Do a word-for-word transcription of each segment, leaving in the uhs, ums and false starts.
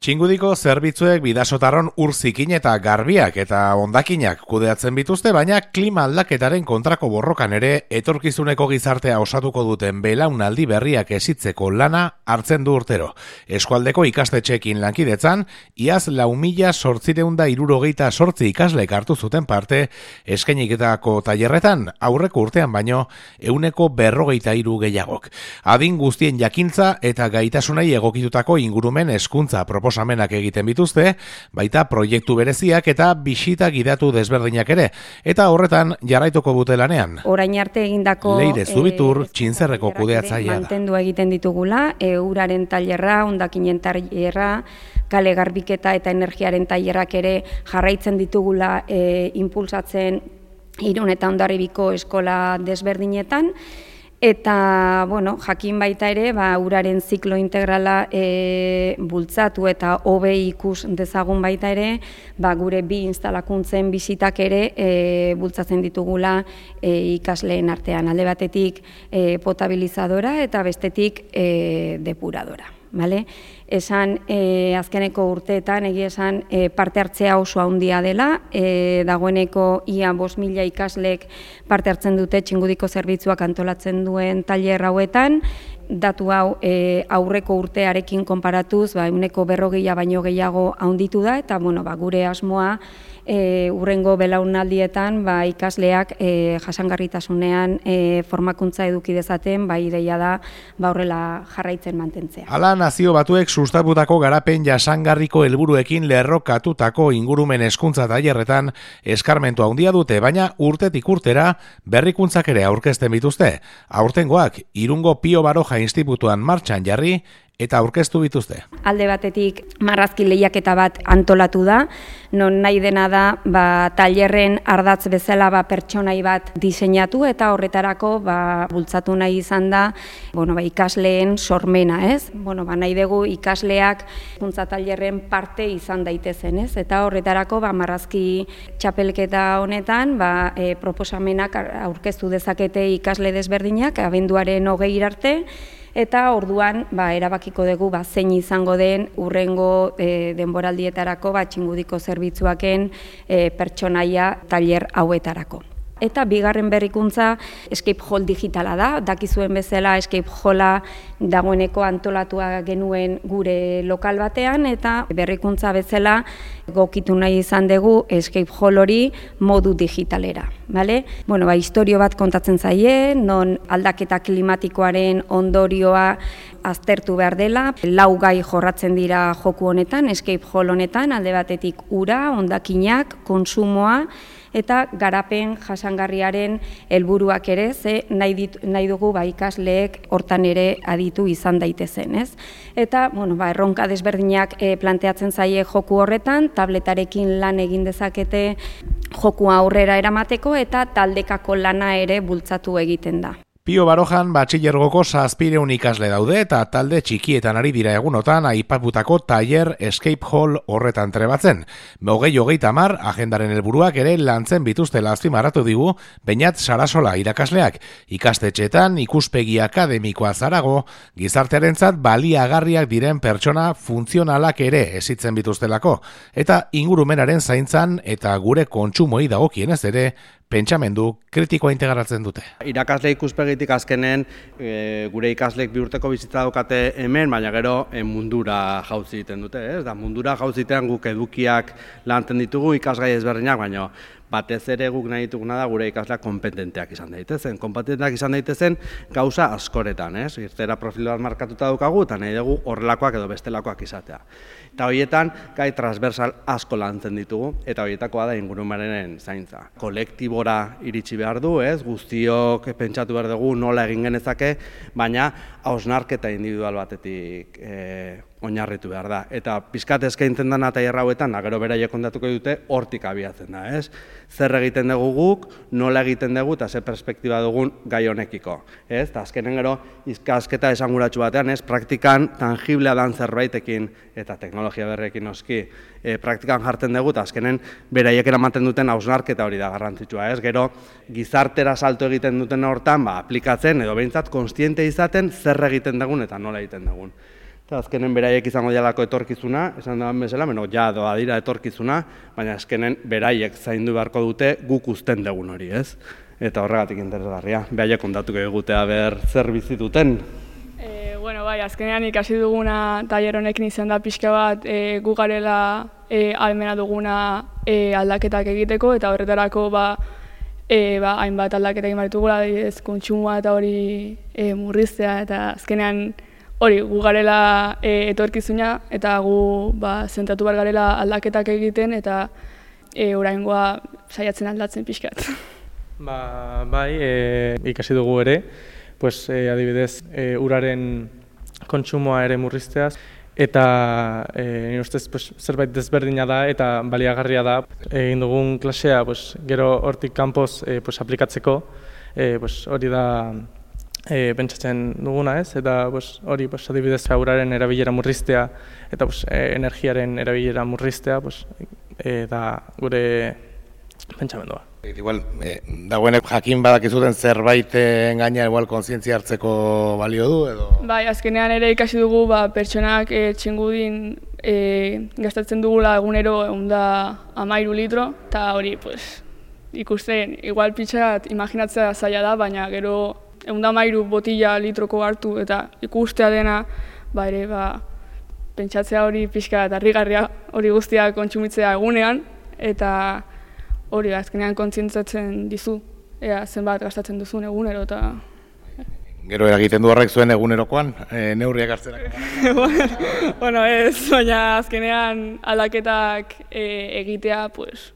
Txingudiko zerbitzuek bidasotarron ur zikin eta garbiak eta hondakinak kudeatzen bituzte, baina klima aldaketaren kontrako borrokan ere etorkizuneko gizartea osatuko duten belaunaldi berriak esitzeko lana hartzen du urtero. Eskualdeko ikastetxeekin lankidetzan, iaz lau mila zortziehun eta hirurogeita zortzi ikaslek hartu zuten parte eskainiketako tailerretan, aurreko urtean baino ehuneko berrogeita hiru gehiagok. Adin guztien jakintza eta gaitasunei egokitutako ingurumen hezkuntza proposamenak egiten bituzte, baita proiektu bereziak eta bisita gidatu desberdinak ere, eta horretan jarraituko dute lanean. Orain arte egindako Leire Zubitur, e, Txintzerreko kudeatzailea da. Mantendu egiten ditugula, e, uraren tailerra, hondakinen tailerra, kale garbiketa eta energiaren tailerrak ere jarraitzen ditugula e, impulsatzen Irun eta Hondarribiko eskola desberdinetan. Eta, bueno, jakin baita ere, ba, uraren ziklo integrala e, bultzatu eta hobe ikus dezagun baita ere, ba, gure bi instalakuntzen bisitak ere e, bultzatzen ditugula e, ikasleen artean. Alde batetik e, potabilizadora eta bestetik e, depuradora. Vale? Esan e, azkeneko urteetan egia esan e, parte hartzea oso handia dela, e, dagoeneko ia bost mila ikaslek parte hartzen dute Txingudiko zerbitzuak antolatzen duen tailer hauetan. Datu hau e, aurreko urtearekin konparatuz, ba, ehuneko berrogeia baino gehiago handitu da, eta bueno, ba, gure asmoa e, urrengo belaunaldietan ba, ikasleak e, jasangarritasunean e, formakuntza eduki dezaten, ba, ideia da ba, horrela jarraitzen mantentzea. Hala nazio batuek sustatutako garapen jasangarriko helburuekin lerrokatutako ingurumen hezkuntza tailerretan eskarmentu handia dute, baina urtetik urtera berrikuntzak ere aurkezten bituzte. Aurtengoak Irungo Pio Baroja Institutuan martxan jarri eta aurkeztu bituzte. Alde batetik marrazki lehiaketa bat antolatu da, non nahi dena da ba, tailerren ardatz bezala ba, pertsonai bat diseinatu eta horretarako ba, bultzatu nahi izan da bueno, ba, ikasleen sormena, ez? Bueno, ba, nahi dugu ikasleak hezkuntza tailerren parte izan daitezen, ez? Eta horretarako ba, marrazki txapelketa honetan ba, e, proposamenak aurkeztu dezakete ikasle desberdinak abenduaren hogei arte. Eta orduan ba, erabakiko dugu ba, zein izango den urrengo e, denboraldietarako ba, Txingudiko zerbitzuaken e, pertsonaia tailer hauetarako. Eta bigarren berrikuntza escape hall digitala da, dakizuen bezala escape halla dagoeneko antolatua genuen gure lokal batean, eta berrikuntza bezala gokitu nahi izan dugu escape hall hori modu digitalera. Vale? Bueno, ba, historio bat kontatzen zaie, non aldaketa klimatikoaren ondorioa aztertu behar dela, lau gai jorratzen dira joku honetan, escape hall honetan, alde batetik ura, hondakinak, konsumoa, eta garapen jasangarriaren helburuak ere, ze nahi, dit, nahi dugu ba, ikasleek hortan ere aditu izan daitezen, ez? Eta, bueno, ba, erronka desberdinak e, planteatzen zaie joku horretan, tabletarekin lan egin dezakete jokua aurrera eramateko eta taldekako lana ere bultzatu egiten da. Pio Barojan batxilergoko zazpiehun ikasle daude eta talde txikietan ari dira egunotan aipatutako tailer escape hall horretan trebatzen. Hogei hogeita hamar agendaren helburuak ere lantzen bituztela azpimarratu digu Beñat Sarasola irakasleak. Ikastetxeetan ikuspegi akademikoa zarago, gizartearentzat baliagarriak diren pertsona funtzionalak ere esitzen bituztelako, eta ingurumenaren zaintzan eta gure kontsumoi dagokienez ere pentsamendu kritikoa integratzen dute. Irakasle ikuspegitik azkenen e, gure ikasleek bi urteko bizitza daukate hemen, baina gero e, mundura jauzi egiten dute, ez? Da mundura jauzi egiten guk edukiak lantzen ditugu ikasgai ezberdinak, baina batez ere guk nahi dituguna da gure ikasleak kompetenteak izan daitezen. Kompetenteak izan daitezen gauza askoretan, ez? Irtera profil bat markatuta daukagu eta nahi dugu horrelakoak edo bestelakoak izatea. Eta horietan gai transversal asko lantzen ditugu eta horietakoa da ingurumenaren zaintza. Kolektibora iritsi behar du, ez? Guztiok pentsatu behar dugu nola egin genezake, baina hausnarketa individual batetik e, oinarritu behar da. Eta pizkat eskaintzen dena tailer hauetan, gero beraiek kontatuko dute, hortik abiatzen da, ez? Zer egiten dugu guk, nola egiten dugu eta ze perspektiba dugun gai honekiko, ez? Eta azkenen gero ikasketa esanguratsu batean, ez? Praktikan tangiblea dan zerbaitekin eta teknologia berrekin noski e, praktikan jartzen dugu eta azkenen beraiek eramaten duten hausnarketa hori da garrantzitsua, ez? Gero gizartera salto egiten duten hortan, ba, aplikatzen edo behintzat kontziente izaten zer egiten dugun eta nola egiten dugun. Eta azkenen beraiek izango dialako etorkizuna, esan da bezala, beno, ja doa dira etorkizuna, baina azkenen beraiek zaindu beharko dute guk uzten dugun hori, ez? Eta horregatik interesgarria, beraiek kontatuko egutea ber zer bizi duten. E, bueno, bai, azkenean ikasi duguna tailer honekin izan da pixka bat e, gu garela e, ahalmena duguna e, aldaketak egiteko, eta horretarako ba, e, ba, hainbat aldaketa egin behar ditugula, adibidez, kontsumoa eta hori e, murriztea, eta azkenean hori, gu garela e, etorkizuna, eta gu ba, zentratu behar garela aldaketak egiten, eta e, oraingoa saiatzen aldatzen pixkat. Ba, bai, e, ikasi dugu ere, pues, e, adibidez, e, uraren kontsumoa ere murrizteaz, eta e, nire ustez pues, zerbait desberdina da eta baliagarria da. Egin dugun klasea pues, gero hortik kanpoz e, pues, aplikatzeko, e, pues, hori da e, pentsatzen duguna ez, eta pues, hori pues, adibidez uraren erabilera murriztea eta pues, e, energiaren erabilera murriztea pues, e, da gure pentsamendua. Igual, eh, dagoenek jakin badakizuten zerbaiten gaina igual kontzientzia hartzeko balio du edo? Bai, azkenean ere ikasi dugu ba, pertsonak e, txingudin e, gastatzen dugula egunero ehun eta hamairu litro, eta hori pues, ikusten, igual pitxat imaginatzea zaila da, baina gero ehun eta hamairu botila litroko hartu eta ikustea dena, ba ere, ba, pentsatzea hori pixka eta harrigarria hori guztia kontsumitzea egunean, eta hori azkenean kontzientzatzen dizu, ea zenbat gastatzen duzun egunero eta... Gero eragiten du horrek zuen egunerokoan, e, neurriak hartzerak? Bueno, ez, baina azkenean aldaketak e, egitea, pues,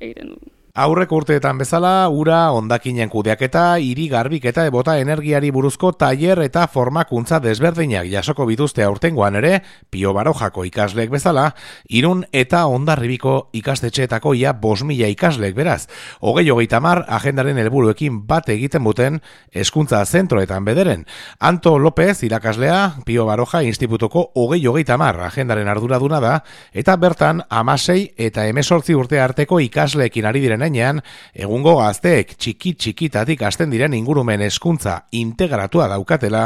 egiten du. Aurreko urteetan bezala, ura, hondakinen kudeaketa, hiri garbiketa ebota energiari buruzko tailer eta formakuntza desberdinak jasoko bituzte aurtengoan ere, Pio Barojako ikasleek bezala, Irun eta Hondarribiko ikastetxeetako ia bost mila ikasleek beraz. Hogei hogeita hamar agendaren helburuekin bat egiten buten hezkuntza zentroetan bederen. Anto López irakaslea, Pio Baroja institutuko hogei hogeita hamar agendaren arduraduna da, eta bertan hamasei eta hemezortzi urte arteko ikasleekin ari diren Enean, egungo gazteek txiki-txikitatik hasten diren ingurumen hezkuntza integratua daukatela,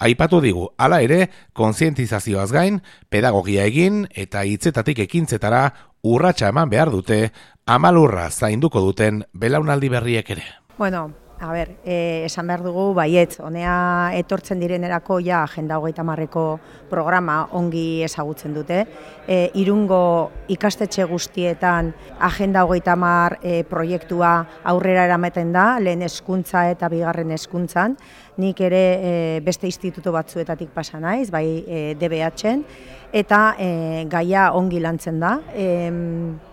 aipatu digu, hala ere, kontzientizazioaz gain, pedagogia egin eta hitzetatik ekintzetara urratsa eman behar dute, amalurra zainduko duten belaunaldi berriek ere. Bueno, a ber, eh, esan behar dugu baietz, honea etortzen direnerako ja Agenda hogeita hamarreko programa ongi ezagutzen dute. E, Irungo ikastetxe guztietan Agenda hogeita hamar e, proiektua aurrera eramaten da, lehen hezkuntza eta bigarren hezkuntzan. Nik ere e, beste instituto batzuetatik pasa naiz, bai e, D B H-en, eta e, gaia ongi lantzen da. E,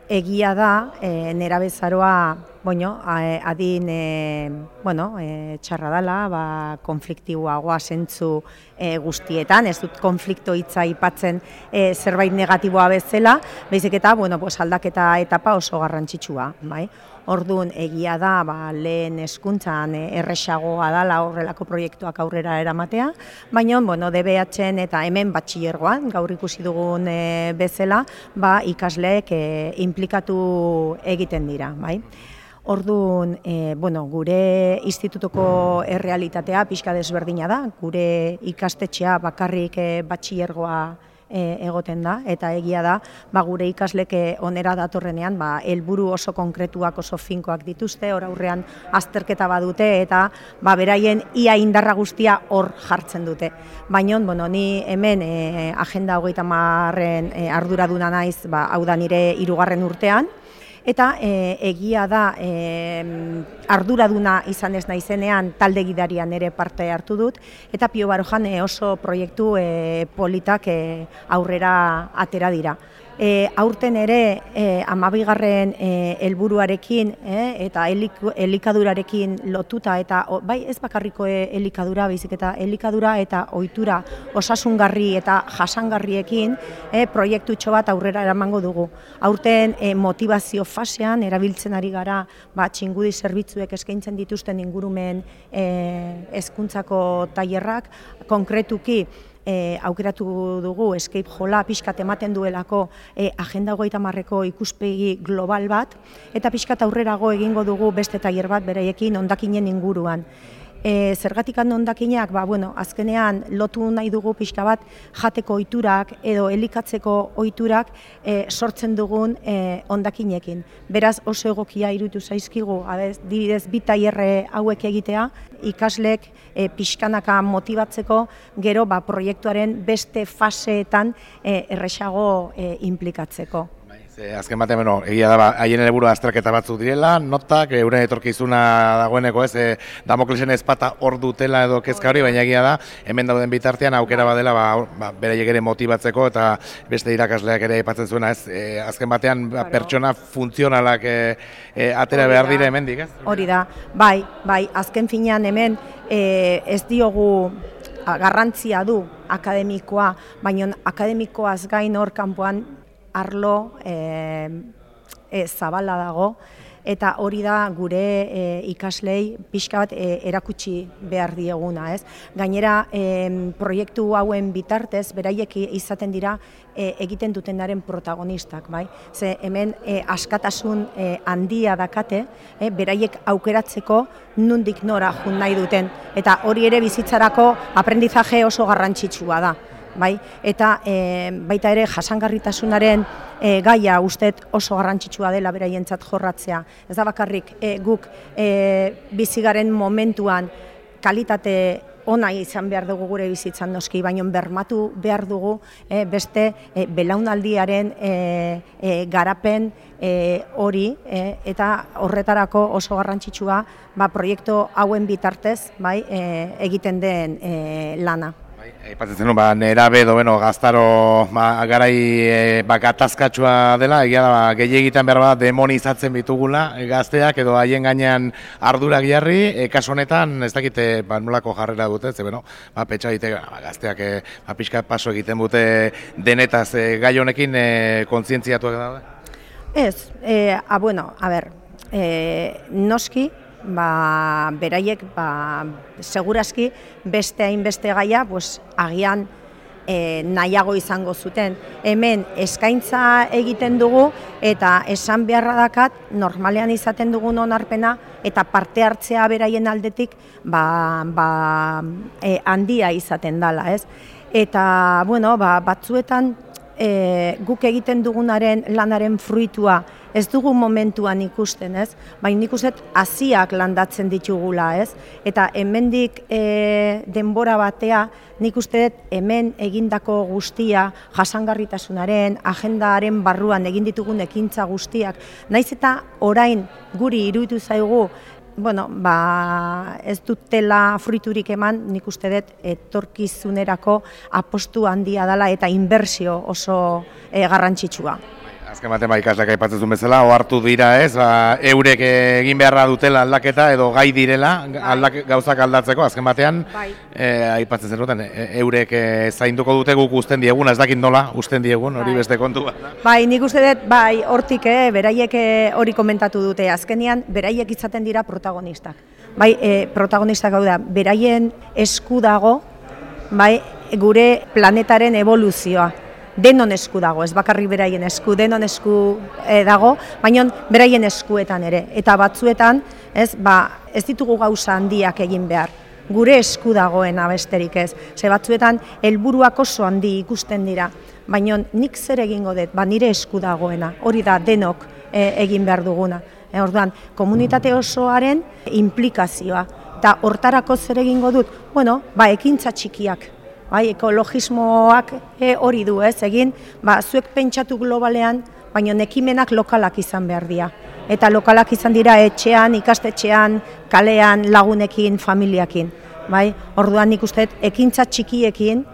Egia da, e, nerabezaroa, bueno, adin e, bueno, e, txarra dela, ba, konfliktiboagoa zentzu e, guztietan, ez dut konflikto hitza aipatzen e, zerbait negatiboa bezala, baizik eta bueno, pues, aldaketa etapa oso garrantzitsua, bai? Orduan egia da, ba, lehen hezkuntzan erresagoa dela horrelako proiektuak aurrera eramatea, baina bueno, D B H-en eta hemen batxilergoan, gaur ikusi dugun e, bezala, ba, ikasleek e, implikatu egiten dira, bai? Orduan, e, bueno, gure institutuko errealitatea pixka desberdina da, gure ikastetxea bakarrik e, batxilergoa E, egoten da, eta egia da, ba, gure ikasleke onera datorrenean, ba, helburu oso konkretuak, oso finkoak dituzte, hor aurrean azterketa badute, eta ba, beraien ia indarra guztia hor jartzen dute. Baina, bueno, ni hemen e, Agenda hogeita hamarren e, arduraduna naiz, ba, hau da nire hirugarren urtean, eta e, egia da e, arduraduna izan ez naizenean talde gidarian ere parte hartu dut, eta Pio Barojan e, oso proiektu e, politak e, aurrera atera dira. E, aurten ere e, amabigarren e, helburuarekin e, eta elik, elikadurarekin lotuta, eta o, bai ez bakarriko e, elikadura, baizik eta elikadura eta ohitura osasungarri eta jasangarriekin e, proiektutxo bat aurrera eramango dugu. Aurten e, motivazio fasean erabiltzen ari gara, ba, txingudi zerbitzuek eskaintzen dituzten ingurumen hezkuntzako e, tailerrak, konkretuki E, aukeratu dugu escape jola pixkat ematen duelako e, Agenda hogeita hamarreko ikuspegi global bat, eta pixkat aurrerago egingo dugu beste tailer bat beraiekin hondakinen inguruan. E, zergatik hondakinak, ba, bueno, azkenean lotu nahi dugu pixka bat jateko ohiturak edo elikatzeko ohiturak e, sortzen dugun e, hondakinekin. Beraz oso egokia iruditu zaizkigu, adibidez bi tailerre hauek egitea, ikaslek e, pixkanaka motibatzeko gero ba, proiektuaren beste faseetan e, erresago e, implikatzeko. E, azken batean, bueno, egia da, ba, haien helburua azterketa batzuk direla, notak, euren etorkizuna dagoeneko ez, e, Damoklesen ezpata hor dutela edo kezka hori, baina egia da, hemen dauden bitartean aukera badela, ba, ba, beraiek ere motibatzeko eta beste irakasleak ere aipatzen zuena, ez, e, azken batean ba, pertsona funtzionalak e, e, atera behar dira hemendik, ez? Hori da, bai, bai, azken finean hemen e, ez diogu garrantzia du akademikoa, baina akademikoaz gain hor kanpoan arlo e, e, zabala dago, eta hori da gure e, ikaslei pixka bat e, erakutsi behar dieguna, ez? Gainera, e, proiektu hauen bitartez, beraiek izaten dira e, egiten dutenaren protagonistak, bai? Ze hemen e, askatasun e, handia dakate, e, beraiek aukeratzeko nondik nora jun nahi duten, eta hori ere bizitzarako aprendizaje oso garrantzitsua da. Bai, eta e, baita ere jasangarritasunaren e, gaia ustet oso garrantzitsua dela beraientzat jorratzea. Ez da bakarrik e, guk e, bizigaren momentuan kalitate ona izan behar dugu gure bizitzan noski, baina bermatu behar dugu e, beste e, belaunaldiaren e, e, garapen e, hori e, eta horretarako oso garrantzitsua ba, proiektu hauen bitartez bai, e, egiten den e, lana. Aipatzen zenun, ba, nerabe edo beno, gaztaro ba, garai e, ba, gatazkatsua dela, egia da, ba, gehiagitan behar bat demonizatzen bitugula e, gazteak edo haien gainean ardurak jarri, e, kasu honetan ez dakite ba, nolako jarrera dute, ze beno, ba, petxa dite, ba, gazteak e, ba, pixka paso egiten dute denetaz e, gai honekin e, kontzientziatuak daude? Ez, e, a, bueno, a ber, e, noski, ba, beraiek ba, segurazki beste hainbeste gaia pues, agian e, nahiago izango zuten. Hemen eskaintza egiten dugu eta esan beharra dakat normalean izaten dugun onarpena eta parte hartzea beraien aldetik ba, ba, e, handia izaten dela, ez? Eta bueno, ba, batzuetan e, guk egiten dugunaren lanaren fruitua ez dugu momentuan ikusten, ez? Baina nik uste haziak landatzen ditugula, ez? Eta hemendik e, denbora batea, nik uste hemen egindako guztia, jasangarritasunaren, agendaren barruan egin ditugun ekintza guztiak, naiz eta orain guri iruditu zaigu, bueno, ba, ez dutela fruiturik eman, nik uste dut etorkizunerako apostu handia dela eta inbertsio oso e, garrantzitsua. Azken batean ba, ikasleak aipatzen zuen bezala, ohartu dira ez, ba, eurek egin beharra dutela aldaketa edo gai direla aldak, gauzak aldatzeko, azken batean bai. e, aipatzen zenuten, e, eurek e, zainduko dute guk usten diegun, ez dakit nola usten diegun, hori bai. Beste kontu bat. Bai, nik uste dut, bai, hortik, eh, beraiek hori komentatu dute, azkenean beraiek izaten dira protagonistak. Bai, e, protagonistak hau da, beraien esku dago, bai, gure planetaren evoluzioa. Denon esku dago, ez bakarrik beraien esku, denon esku e, dago, baina beraien eskuetan ere. Eta batzuetan, ez, ba, ez ditugu gauza handiak egin behar. Gure esku dagoena besterik ez. Ze batzuetan, helburuak oso handi ikusten dira. Baina nik zer egingo dut, ba, nire esku dagoena. Hori da, denok e, egin behar duguna. E, orduan, komunitate osoaren implikazioa. Eta hortarako zer egingo dut? Bueno, ba, ekintza txikiak. Bai, ekologismoak e, hori du, ez, egin, ba, zuek pentsatu globalean, baina ekimenak lokalak izan behar dira. Eta lokalak izan dira etxean, ikastetxean, kalean, lagunekin, familiakin. Bai, orduan nik uste, ekintza txikiekin,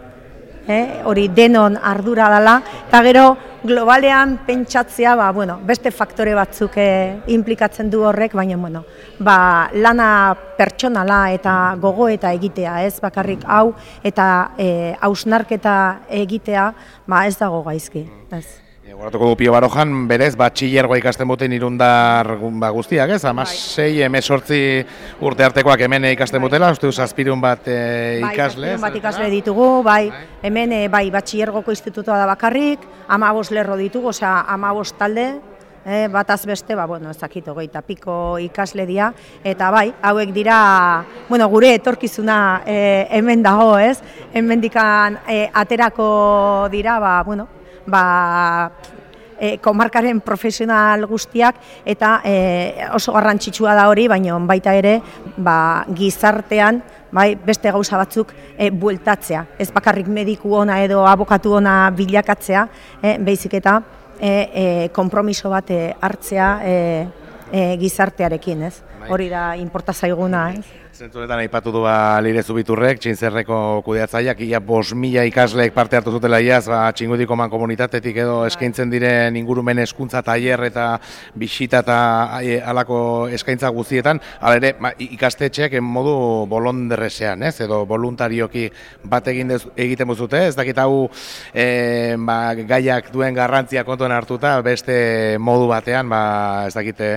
eh, hori denon ardura dela, eta gero globalean pentsatzea, ba, bueno, beste faktore batzuk eh, implikatzen du horrek, baina bueno, ba, lana pertsonala eta gogoeta egitea, ez bakarrik hau, eta eh, hausnarketa egitea, ba, ez dago gaizki. Ez. Goratuko du Pio Barojan, berez, batxillergoa ikasten buten irundar ba, guztiak, ez? Hamasei, hemezortzi urte artekoak hemen ikasten butela, uste duz zazpirun bat e, ikasle. Bai, bat ikasle ditugu, bai, hemen e, bai, batxillergoko institutua da bakarrik, hamabost lerro ditugu, osea, hamabost talde, E, bataz beste, ba, bueno, ezakit, hogeita piko ikasle dira, eta bai, hauek dira, bueno, gure etorkizuna e, hemen dago, ez? Hemendikan e, aterako dira, ba, bueno, ba, e, komarkaren profesional guztiak, eta e, oso garrantzitsua da hori, baina baita ere, ba, gizartean, bai, beste gauza batzuk e, bueltatzea. Ez bakarrik mediku ona edo abokatu ona bilakatzea, e, baizik eta e, e, konpromiso bat e, hartzea e, e, gizartearekin, ez? Hori da inporta zaiguna, ez? Zentzunetan aipatu du ba, Leire Zubiturrek, Txintzerreko kudeatzaileak, ia bost mila ikasleek parte hartu zutela iaz, ba, Txingudiko mankomunitatetik edo eskaintzen diren ingurumen hezkuntza tailer eta bisita eta e, halako eskaintza guztietan, hala ere ba, ikastetxeak modu bolonderresean, ez? Edo voluntarioki bat egin dez, egiten buzute, ez dakit hau e, ba, gaiak duen garrantzia kontuan hartuta, beste modu batean, ba, ez dakite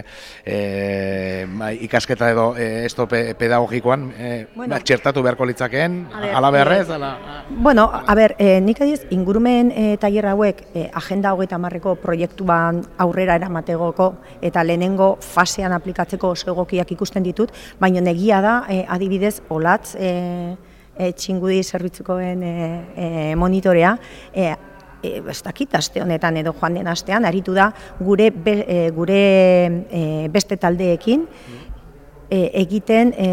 e, ba, ikasketa edo e, esto pedagogikoan e, bueno, ba, txertatu beharko litzakeen, ala beharrez? Ala... Bueno, a ber, e, nik adiz, ingurumen e, tailer hauek e, agenda hogeita hamarreko proiektuan aurrera eramategoko eta lehenengo fasean aplikatzeko oso egokiak ikusten ditut, baina negia da, e, adibidez, olatz e, e, Txingudi zerbitzukoen e, e, monitorea, e, E, ez dakit, aste honetan edo joan den astean, aritu da gure, be, e, gure e, beste taldeekin e, egiten e,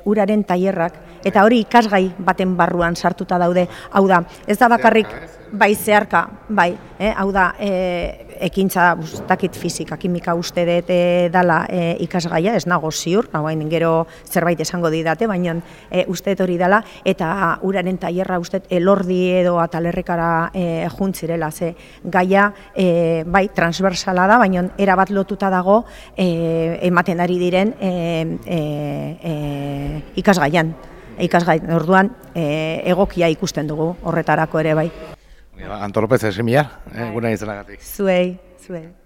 uraren tailerrak, eta hori ikasgai baten barruan sartuta daude. Hau da, ez da bakarrik, bai zeharka, bai, eh? Hau da, e, ekintza, ez dakit fizika, kimika uste dut e, dala e, ikasgaia, ez nago ziur, hain gero zerbait esango didate, baina e, uste dut hori dela, eta uraren tailerra uste dut elordi edo atalerrekara e, juntzirela, ze gaia e, bai transversala da, baina erabat lotuta dago e, ematen ari diren e, e, e, ikasgaian. Ikasgai, orduan e, egokia ikusten dugu horretarako ere bai. Antolopez esimia, eh, gure izenagatik. Zuei, zuei.